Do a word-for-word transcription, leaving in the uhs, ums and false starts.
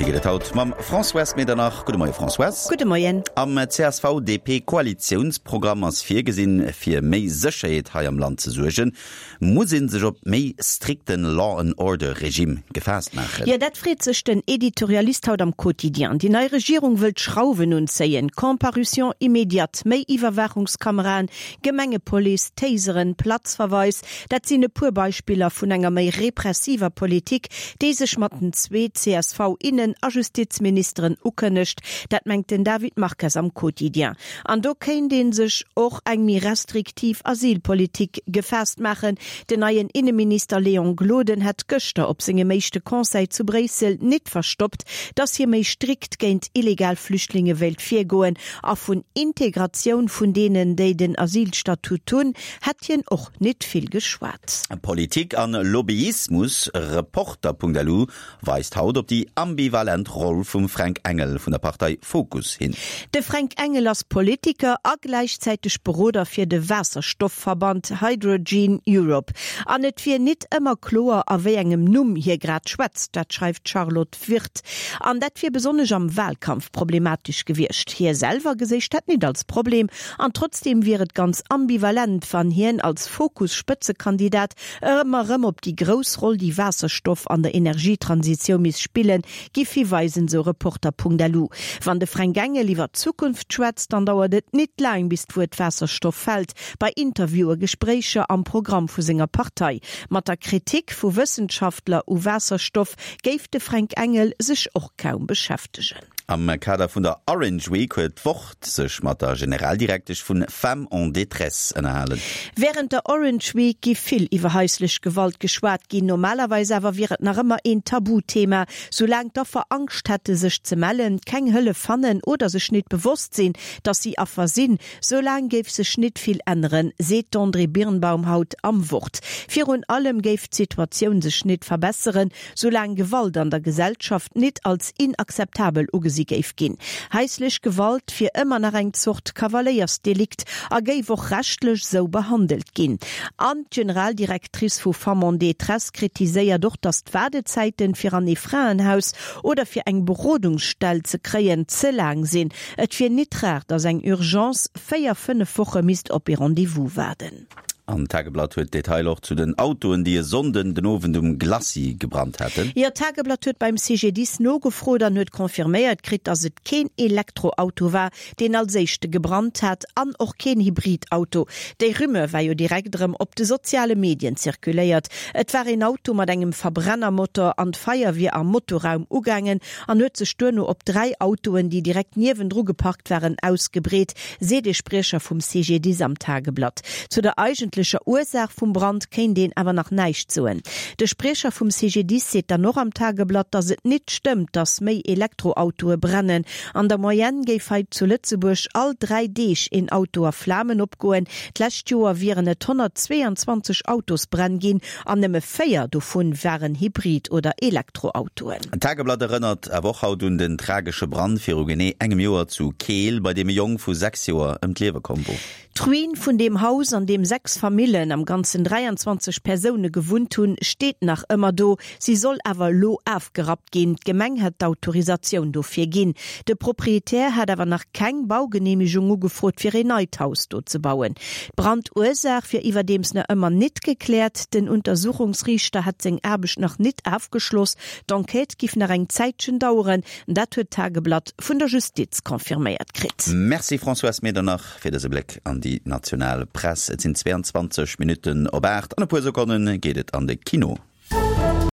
Noriichte geet et haut mam Françoise Medernach. Gudde Moie Françoise. Gudde Moien. Am C S V D P-Koalitiounsprogramm ass virgesinn, fir méi Sécherheet hei am Land ze suergen, muss ee sech op méi strikten Law and Order Regime gefaasst maachen. Jo, dat freet sech den Editorialist haut am Quotidien. Déi nei Regierung wëllt Schrauwen unzéien, Comparution immédiate, méi Iwwerwaachungskameraen, Gemengepolice, Taseren, Platzverweis, dat sinn e puer Beispiller vun enger méi repressiver Politik, déi sech mat den zwee C S V Innen a Justizministeren ukënnegt, dat mengt den David Marques am Quotidien. An do kéint ee sech och eng méi restriktiv Asylpolitik gefaasst maachen. Den neien Inneminister Léon Gloden hätt gëschter op sengem éischte Conseil zu Bréissel net verstoppt, datt hie méi strikt géint illegal Flüchtlinge wéilt virgoen, a vun Integratioun vun deenen, déi den Asylstatut hunn, hätt hien och net vill geschwat. Politik an Lobbyismus, Reporter Punkt L U weist haut op déi ambivalent Roll vum Fränk Engel vun der Partei Fokus hin. De Fränk Engel ass Politiker a gläichzäiteg Beroder fir de Waasserstoffverband Hydrogen Europe. An et wier net ëmmer kloer, a wéi engem Numm hie grad schwätzt, dat schreift d'Charlotte Wirth. An dat wier besonnesch am Wahlkampf problematesch gewiescht. Hie selwer geséich dat net als Problem an trotzdeem wier et ganz ambivalent, wann hien als Fokus-Spëtzekandidat ëmmer erëm op déi grouss Roll, déi Waasserstoff an der Energietransitioun misst spillen, giff hiweisen, sou Reporter Punkt L U. Wann de Fränk Engel iwwer d'Zukunft schwätzt, dann dauert et net laang, bis d'Wuert Waasserstoff fält, bei Interviewen, Gespréicher, am Programm vu senger Partei. Mat der Kritik vu Wëssenschaftler u Waasserstoff géif de Fränk Engel sech och kaum beschäftegen. Am Kader vun der Orange Week huet d'Wort sech mat der Generaldirektesch vun Femmes en détresse ënnerhalen. Wärend der Orange Week gi vill iwwer haislech Gewalt geschwat ginn. Normalerweis awer wier et nach ëmmer een Tabuthema. Soulaang d'Affer Angscht hätte sech ze mellen, keng Hëllef fannen oder sech net bewosst sinn, datt si Affer sinn, soulaang géif sech net vill änneren, seet d'Andrée Birnbaum haut am Wort. Virun allem géif d'Situatioun sech net verbesseren, soulaang Gewalt an der Gesellschaft net als inakzeptabel ugesi géif ginn. Haislech Gewalt wier ëmmer nach eng Zort Kavaléiersdelikt a géif och rechtlech sou behandelt ginn. An d'Generaldirectrice vu Femmes en détresse kritiséiert och, datt d'Waardezäiten fir an ee Fraenhaus oder fir eng Berodungsstell ze kréien ze laang sinn. Et wier net rar, datt eng Urgence véier, fënnef Woche misst op ee Rendez-vous waarden. An d'Tageblatt huet Detailer och zu den Autoen, déi e Sonnden den Owend um Glacis gebrannt haten. Jo, d'Tageblatt huet beim C G D I S nogefrot an huet confirméiert kritt, datt et keen Elektroauto war, deen als éischte gebrannt hat an och keen Hybridauto. Déi Rumeur war jo direkt erëm op de soziale Medien zirkuléiert. Et war een Auto mat engem Verbrennermotor an d'Feier wier am Motorraum ugaangen an huet sech duerno op dräi Autoen, déi direkt niewendru geparkt waren, ausgebreet, seet ee Spriecher vum C G D I S am Tageblatt. Zu der eigentlecher Ursaach vum Brand kéint een awer nach näischt soen. De Spriecher vum C G D I S seet dann och am Tageblatt, datt et net stëmmt, datt méi Elektroautoe brennen. An der Moyenne géif hei zu Lëtzebuerg all dräi Deeg een Auto a Flamen opgoen. D'lescht Joer wieren et honnertzweeanzwanzeg Autosbränn ginn an nëmme véier dovun waren Hybrid oder Elektroautoen. D'Tageblatt erënnert awer och haut un den tragesche Brand viru genee engem Joer zu Keel, bei deem e Jong vu sechs Joer ëm d'Liewe komm wor. D'Ruin vun deem Haus, an deem sechs Famillen, am Ganzen dräianzwanzeg Persoune gewunnt hunn, steet nach ëmmer do. Si soll awer elo afgerappt ginn. D'Gemeng hätt d'Autorisatioun dofir ginn. De Proprietär hätt awer nach keng Baugeneemegung ugefrot, fir een neit Haus do ze bauen. D'Brandursaach wier iwwerdeems nach ëmmer net gekläert. Den Untersuchungsriichter hätt seng Aarbecht nach net afgeschloss. D'Enquête giff nach eng Zäitchen daueren. Dat huet d'Tageblatt vun der Justiz confirméiert kritt. Merci Françoise Medernach fir dëse Bléck an déi national Press. Et sinn zweianzwanzeg Minutten op aacht. An e puer Sekonne geet et an de Kino.